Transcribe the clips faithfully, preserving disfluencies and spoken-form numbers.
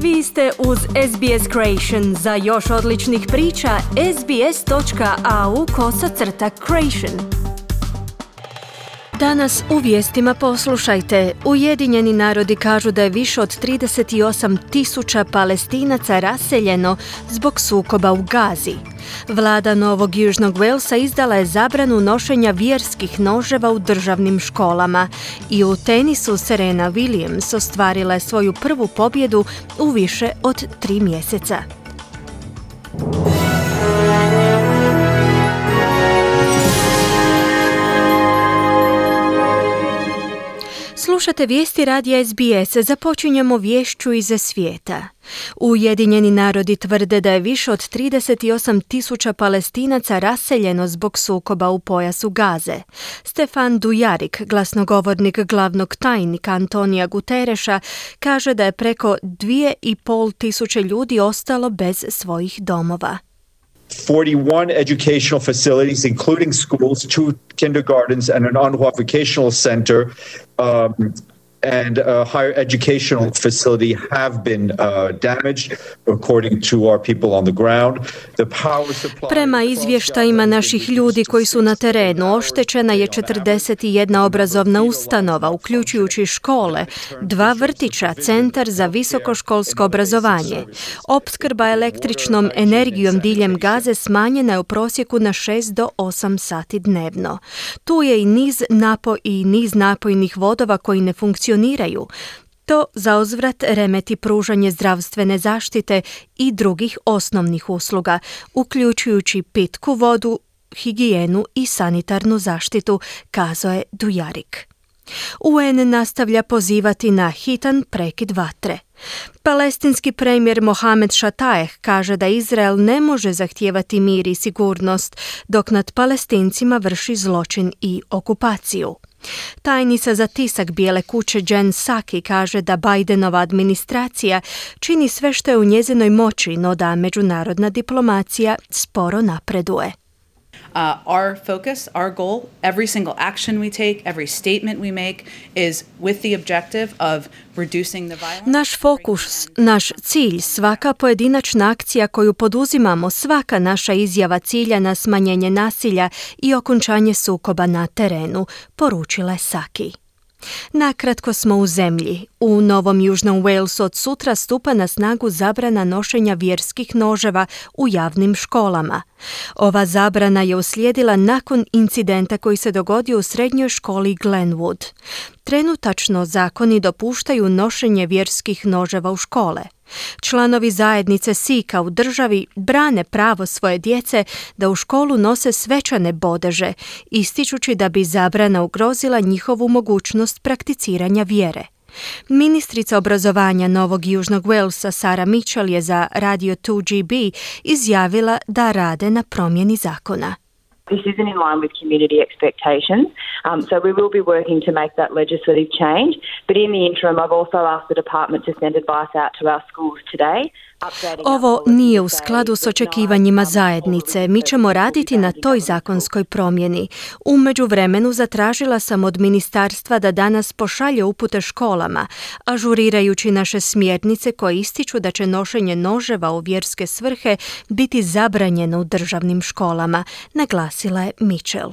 Vi ste uz S B S Creation. Za još odličnih priča, sbs.au kosacrta creation. Danas u vijestima poslušajte. Ujedinjeni narodi kažu da je više od trideset osam tisuća Palestinaca raseljeno zbog sukoba u Gazi. Vlada Novog Južnog Walesa izdala je zabranu nošenja vjerskih noževa u državnim školama. I u tenisu Serena Williams ostvarila je svoju prvu pobjedu u više od tri mjeseca. Slušate vijesti radija S B S. Započinjemo vješću iz svijeta. Ujedinjeni narodi tvrde da je više od trideset osam tisuća Palestinaca raseljeno zbog sukoba u pojasu Gaze. Stefan Dujarric, glasnogovornik glavnog tajnika Antonija Guterreša, kaže da je preko dvije i pol tisuće ljudi ostalo bez svojih domova. forty-one educational facilities, including schools, two kindergartens, and an UNRWA vocational center, um, and a higher educational facility have been uh, damaged, according to our people on the ground. The power supply... Prema izvještajima naših ljudi koji su na terenu, oštećena je četrdeset jedna obrazovna ustanova, uključujući škole, dva vrtića, centar za visokoškolsko obrazovanje. Opskrba električnom energijom diljem Gaze smanjena je u prosjeku na šest do osam sati dnevno. Tu je i niz, napo, i niz napojnih vodova koji ne funkcioniraju. To zauzvrat remeti pružanje zdravstvene zaštite i drugih osnovnih usluga, uključujući pitku vodu, higijenu i sanitarnu zaštitu, kazao je Dujarric. U N nastavlja pozivati na hitan prekid vatre. Palestinski premijer Mohamed Shataeh kaže da Izrael ne može zahtijevati mir i sigurnost dok nad Palestincima vrši zločin i okupaciju. Tajnica za tisak Bijele kuće Jen Psaki kaže da Bidenova administracija čini sve što je u njezinoj moći, no da međunarodna diplomacija sporo napreduje. Uh, our focus, our goal, every single action we take, every statement we make is with the objective of reducing the violence. Naš fokus, naš cilj, svaka pojedinačna akcija koju poduzimamo, svaka naša izjava cilja na smanjenje nasilja i okončanje sukoba na terenu, poručila je Psaki. Nakratko smo u zemlji. U Novom Južnom Walesu od sutra stupa na snagu zabrana nošenja vjerskih noževa u javnim školama. Ova zabrana je uslijedila nakon incidenta koji se dogodio u srednjoj školi Glenwood. Trenutačno zakoni dopuštaju nošenje vjerskih noževa u škole. Članovi zajednice Sika u državi brane pravo svoje djece da u školu nose svečane bodeže, ističući da bi zabrana ugrozila njihovu mogućnost prakticiranja vjere. Ministrica obrazovanja Novog Južnog Walesa Sarah Mitchell je za Radio two G B izjavila da rade na promjeni zakona. This isn't in line with community expectations, um, so we will be working to make that legislative change. But in the interim, I've also asked the department to send advice out to our schools today. Ovo nije u skladu s očekivanjima zajednice. Mi ćemo raditi na toj zakonskoj promjeni. U međuvremenu zatražila sam od ministarstva da danas pošalje upute školama, ažurirajući naše smjernice koje ističu da će nošenje noževa u vjerske svrhe biti zabranjeno u državnim školama, naglasila je Mitchell.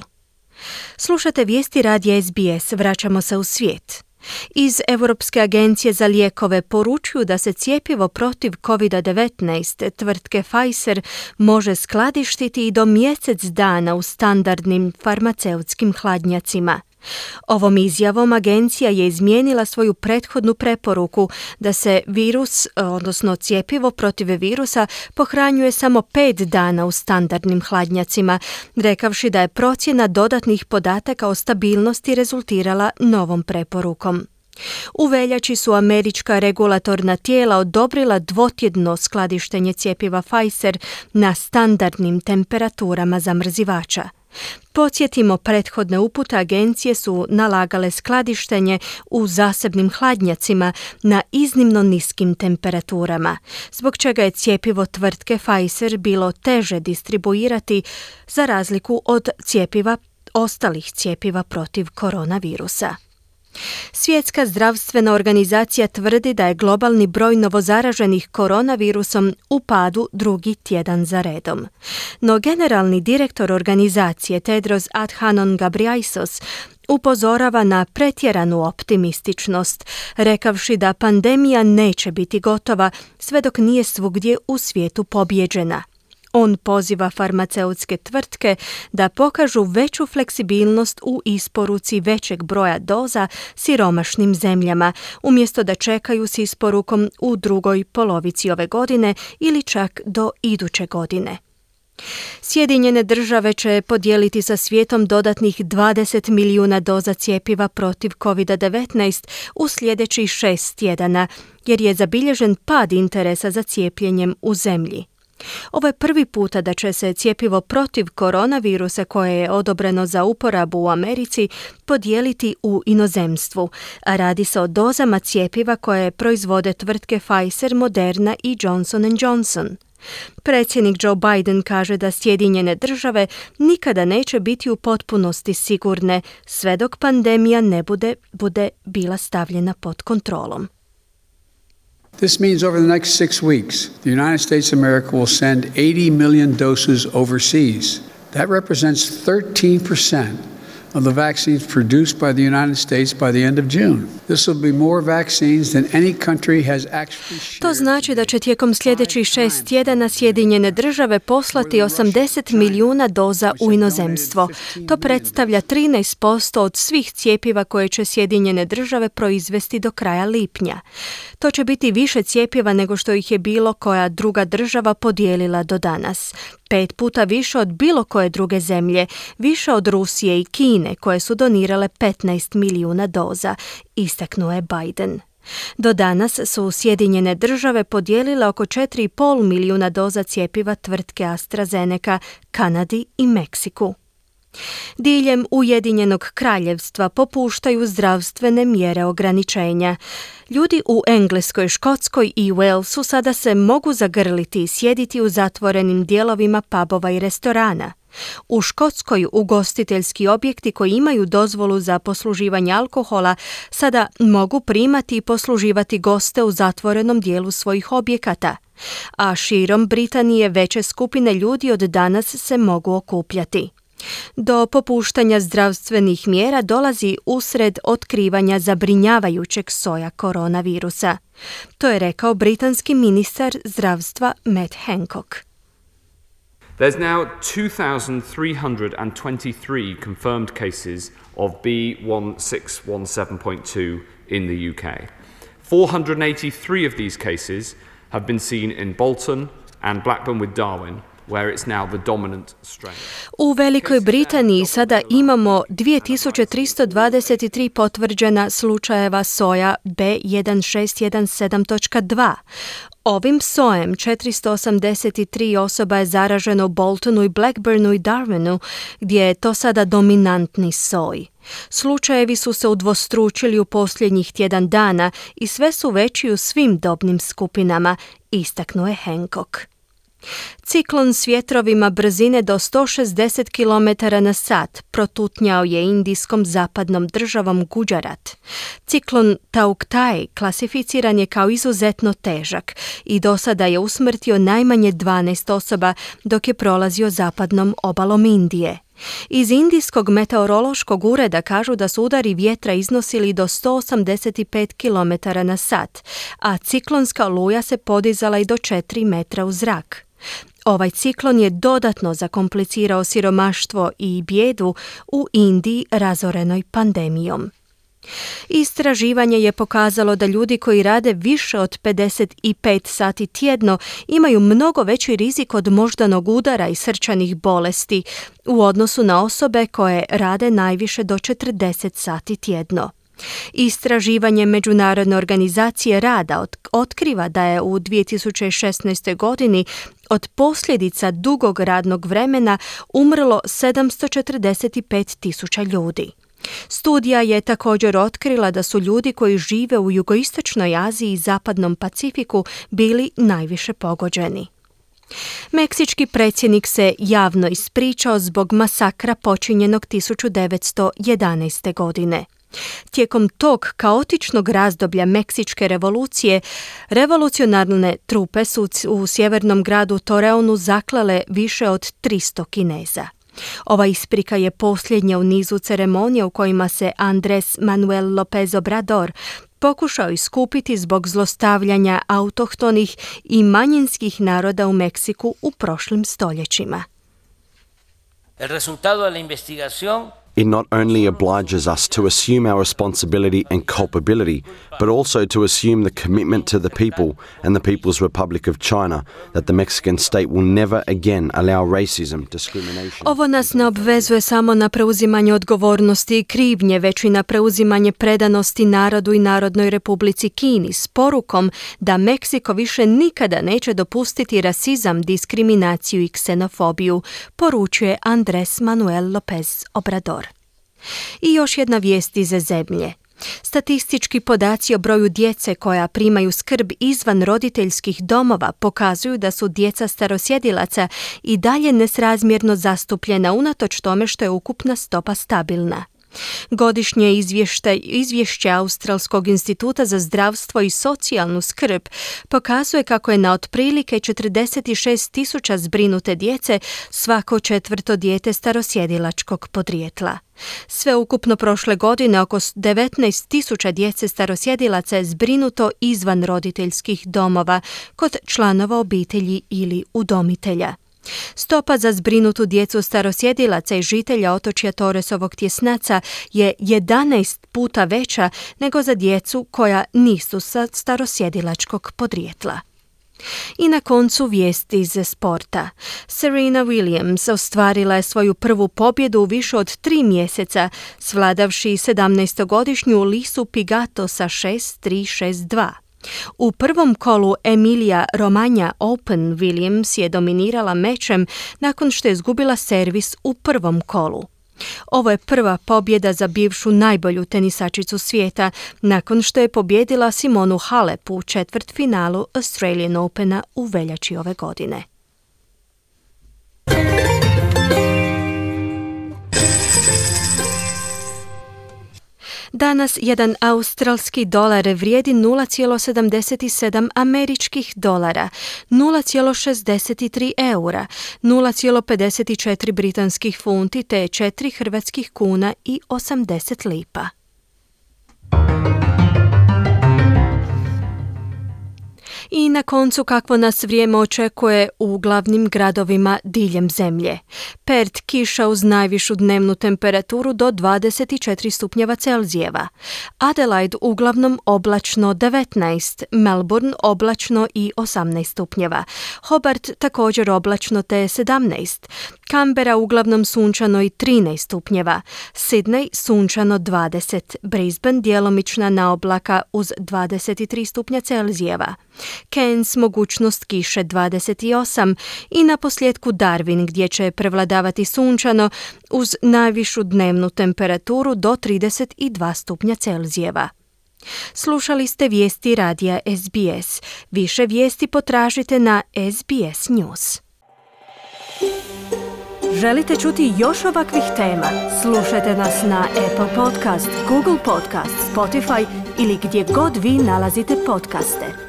Slušate vijesti radija S B S, vraćamo se u svijet. Iz Europske agencije za lijekove poručuju da se cjepivo protiv covid devetnaest tvrtke Pfizer može skladištiti i do mjesec dana u standardnim farmaceutskim hladnjacima. Ovom izjavom agencija je izmijenila svoju prethodnu preporuku da se virus, odnosno cjepivo protiv virusa, pohranjuje samo pet dana u standardnim hladnjacima, rekavši da je procjena dodatnih podataka o stabilnosti rezultirala novom preporukom. U veljači su američka regulatorna tijela odobrila dvotjedno skladištenje cjepiva Pfizer na standardnim temperaturama zamrzivača. Podsjetimo, prethodne upute agencije su nalagale skladištenje u zasebnim hladnjacima na iznimno niskim temperaturama, zbog čega je cjepivo tvrtke Pfizer bilo teže distribuirati za razliku od cjepiva ostalih cjepiva protiv koronavirusa. Svjetska zdravstvena organizacija tvrdi da je globalni broj novozaraženih koronavirusom u padu drugi tjedan za redom. No generalni direktor organizacije Tedros Adhanom Ghebreyesus upozorava na pretjeranu optimističnost, rekavši da pandemija neće biti gotova sve dok nije svugdje u svijetu pobijeđena. On poziva farmaceutske tvrtke da pokažu veću fleksibilnost u isporuci većeg broja doza siromašnim zemljama, umjesto da čekaju s isporukom u drugoj polovici ove godine ili čak do iduće godine. Sjedinjene države će podijeliti sa svijetom dodatnih dvadeset milijuna doza cjepiva protiv kovid devetnaest u sljedećih šest tjedana, jer je zabilježen pad interesa za cijepljenjem u zemlji. Ovo je prvi puta da će se cjepivo protiv koronavirusa koje je odobreno za uporabu u Americi podijeliti u inozemstvu, a radi se o dozama cjepiva koje proizvode tvrtke Pfizer, Moderna i Johnson and Johnson. Predsjednik Joe Biden kaže da Sjedinjene države nikada neće biti u potpunosti sigurne sve dok pandemija ne bude, bude bila stavljena pod kontrolom. This means over the next six weeks, the United States of America will send eighty million doses overseas. That represents thirteen percent of the vaccines produced by the United States by the end of June. This will be more vaccines than any country has actually shared. To znači da će tijekom sljedećih šest tjedana Sjedinjene države poslati osamdeset milijuna doza u inozemstvo. To predstavlja trinaest posto od svih cjepiva koje će Sjedinjene države proizvesti do kraja lipnja. To će biti više cjepiva nego što ih je bilo koja druga država podijelila do danas. Pet puta više od bilo koje druge zemlje, više od Rusije i Kine koje su donirale petnaest milijuna doza, istaknuo je Biden. Do danas su Sjedinjene države podijelile oko četiri i pol milijuna doza cjepiva tvrtke AstraZeneca, Kanadi i Meksiku. Diljem Ujedinjenog kraljevstva popuštaju zdravstvene mjere ograničenja. Ljudi u Engleskoj, Škotskoj i Walesu sada se mogu zagrliti i sjediti u zatvorenim dijelovima pubova i restorana. U Škotskoj ugostiteljski objekti koji imaju dozvolu za posluživanje alkohola sada mogu primati i posluživati goste u zatvorenom dijelu svojih objekata, a širom Britanije veće skupine ljudi od danas se mogu okupljati. Do popuštanja zdravstvenih mjera dolazi usred otkrivanja zabrinjavajućeg soja koronavirusa. To je rekao britanski ministar zdravstva Matt Hancock. There's now two thousand three hundred twenty-three confirmed cases of B one six one seven point two in the U K. four hundred eighty-three of these cases have been seen in Bolton and Blackburn with Darwin, where it's now the dominant strain. U Velikoj Britaniji sada imamo dvije tisuće tristo dvadeset tri potvrđena slučajeva soja B jedan šest jedan sedam dva. Ovim sojem četiristo osamdeset tri osoba je zaraženo u Boltonu i Blackburnu i Darwinu, gdje je to sada dominantni soj. Slučajevi su se udvostručili u posljednjih tjedan dana i sve su veći u svim dobnim skupinama, istaknuo je Hancock. Ciklon s vjetrovima brzine do sto šezdeset kilometara na sat protutnjao je indijskom zapadnom državom Gujarat. Ciklon Tauktae klasificiran je kao izuzetno težak i do sada je usmrtio najmanje dvanaest osoba dok je prolazio zapadnom obalom Indije. Iz Indijskog meteorološkog ureda kažu da su udari vjetra iznosili do sto osamdeset pet kilometara na sat, a ciklonska oluja se podizala i do četiri metra u zrak. Ovaj ciklon je dodatno zakomplicirao siromaštvo i bijedu u Indiji razorenoj pandemijom. Istraživanje je pokazalo da ljudi koji rade više od pedeset pet sati tjedno imaju mnogo veći rizik od moždanog udara i srčanih bolesti u odnosu na osobe koje rade najviše do četrdeset sati tjedno. Istraživanje Međunarodne organizacije rada otkriva da je u dvije tisuće šesnaestoj godini od posljedica dugog radnog vremena umrlo sedamsto četrdeset pet tisuća ljudi. Studija je također otkrila da su ljudi koji žive u jugoistočnoj Aziji i zapadnom Pacifiku bili najviše pogođeni. Meksički predsjednik se javno ispričao zbog masakra počinjenog tisuću devetsto jedanaeste. godine. Tijekom tog kaotičnog razdoblja Meksičke revolucije, revolucionarne trupe su u sjevernom gradu Torreonu zaklale više od tristo Kineza. Ova isprika je posljednja u nizu ceremonija u kojima se Andrés Manuel López Obrador pokušao iskupiti zbog zlostavljanja autohtonih i manjinskih naroda u Meksiku u prošlim stoljećima. El resultado de la investigación It not only obliges us to assume our responsibility and culpability, but also to assume the commitment to the people and the People's Republic of China that the Mexican state will never again allow racism, discrimination. Ovo nas ne obvezuje samo na preuzimanje odgovornosti i krivnje, već i na preuzimanje predanosti narodu i Narodnoj Republici Kini s porukom da Meksiko više nikada neće dopustiti rasizam, diskriminaciju i ksenofobiju, poručuje Andrés Manuel López Obrador. I još jedna vijest iz zemlje. Statistički podaci o broju djece koja primaju skrb izvan roditeljskih domova pokazuju da su djeca starosjedilaca i dalje nesrazmjerno zastupljena unatoč tome što je ukupna stopa stabilna. Godišnje izvješće, izvješće Australskog instituta za zdravstvo i socijalnu skrb pokazuje kako je na otprilike četrdeset šest tisuća zbrinute djece svako četvrto dijete starosjedilačkog podrijetla. Sve ukupno prošle godine oko devetnaest tisuća djece starosjedilaca je zbrinuto izvan roditeljskih domova kod članova obitelji ili udomitelja. Stopa za zbrinutu djecu starosjedilaca i žitelja otočja Torresovog tjesnaca je jedanaest puta veća nego za djecu koja nisu sa starosjedilačkog podrijetla. I na koncu vijesti iz sporta. Serena Williams ostvarila je svoju prvu pobjedu u više od tri mjeseca, svladavši sedamnaestogodišnju Lisu Pigato sa šest tri šest dva. U prvom kolu Emilia Romagna Open Williams je dominirala mečem nakon što je izgubila servis u prvom kolu. Ovo je prva pobjeda za bivšu najbolju tenisačicu svijeta nakon što je pobjedila Simonu Halep u četvrtfinalu Australian Opena u veljači ove godine. Danas jedan australski dolar vrijedi nula zarez sedamdeset sedam američkih dolara, nula zarez šezdeset tri eura, nula zarez pedeset četiri britanskih funti te četiri hrvatskih kuna i osamdeset lipa. I na koncu kakvo nas vrijeme očekuje u glavnim gradovima diljem zemlje. Perth kiša uz najvišu dnevnu temperaturu do dvadeset četiri stupnjeva Celzijeva. Adelaide uglavnom oblačno devetnaest, Melbourne oblačno i osamnaest stupnjeva. Hobart također oblačno te sedamnaest. Canberra uglavnom sunčano i trinaest stupnjeva. Sydney sunčano dvadeset. Brisbane djelomična naoblaka uz dvadeset tri stupnja Celzijeva. Cairns mogućnost kiše dvadeset osam i na posljedku Darwin gdje će prevladavati sunčano uz najvišu dnevnu temperaturu do trideset dva stupnja Celzijeva. Slušali ste vijesti radija S B S. Više vijesti potražite na S B S News. Želite čuti još ovakvih tema? Slušajte nas na Apple Podcast, Google Podcast, Spotify ili gdje god vi nalazite podcaste.